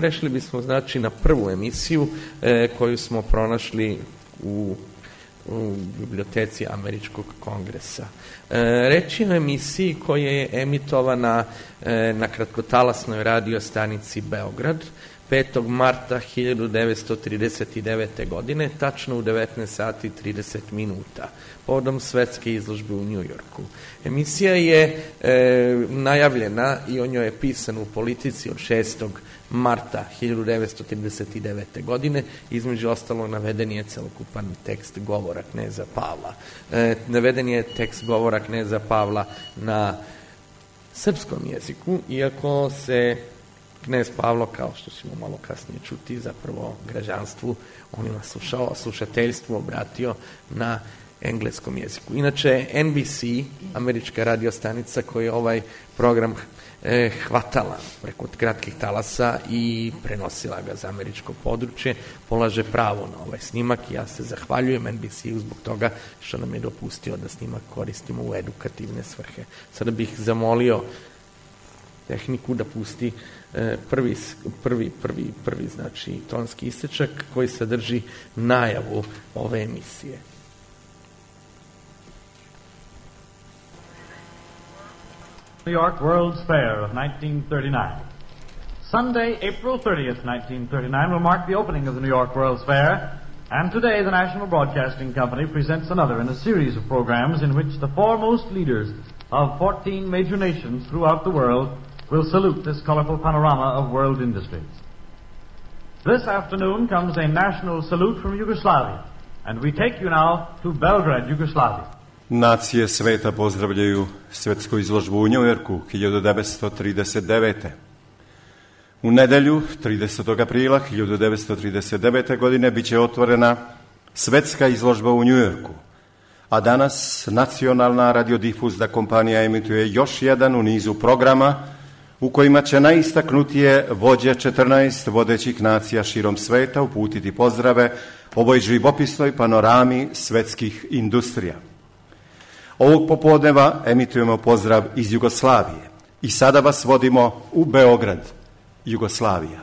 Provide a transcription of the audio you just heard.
Prešli bismo znači na prvu emisiju koju smo pronašli u biblioteci Američkog kongresa. Reč je o emisiji koja je emitovana na kratkotalasnoj radio stanici Beograd 5. marta 1939. godine, tačno u 19 sati 30 minuta, povodom svetske izložbe u Njujorku. Emisija je najavljena i o njoj je pisano u Politici od 6. marta 1939. godine. Između ostalo naveden je celokupan tekst govora kneza Pavla. Naveden je tekst govora kneza Pavla na srpskom jeziku, iako se knez Pavlo, kao što ćemo malo kasnije čuti, zapravo građanstvu, onima slušateljstvu obratio na engleskom jeziku. Inače, NBC, američka radiostanica koja je ovaj program hvatala preko kratkih talasa i prenosila ga za američko područje, polaže pravo na ovaj snimak i ja se zahvaljujem NBC-u zbog toga što nam je dopustio da snimak koristimo u edukativne svrhe. Sada bih zamolio tehniku da pusti prvi znači tonski isečak koji sadrži najavu ove emisije. New York World's Fair of 1939. Sunday, April 30th, 1939 will mark the opening of the New York World's Fair, and today the National Broadcasting Company presents another in a series of programs in which the foremost leaders of 14 major nations throughout the world will salute this colorful panorama of world industries. This afternoon comes a national salute from Yugoslavia, and we take you now to Belgrade, Yugoslavia. Nacije sveta pozdravljaju svetsku izložbu u Njujorku 1939. U nedelju 30. aprila 1939. godine biće otvorena svetska izložba u Njujorku, a danas nacionalna radiodifuzna kompanija emituje još jedan u nizu programa u kojima će najistaknutije vođe 14 vodećih nacija širom sveta uputiti pozdrave ovoj živopisnoj panorami svetskih industrija. Ovog popodneva emitujemo pozdrav iz Jugoslavije i sada vas vodimo u Beograd, Jugoslavija.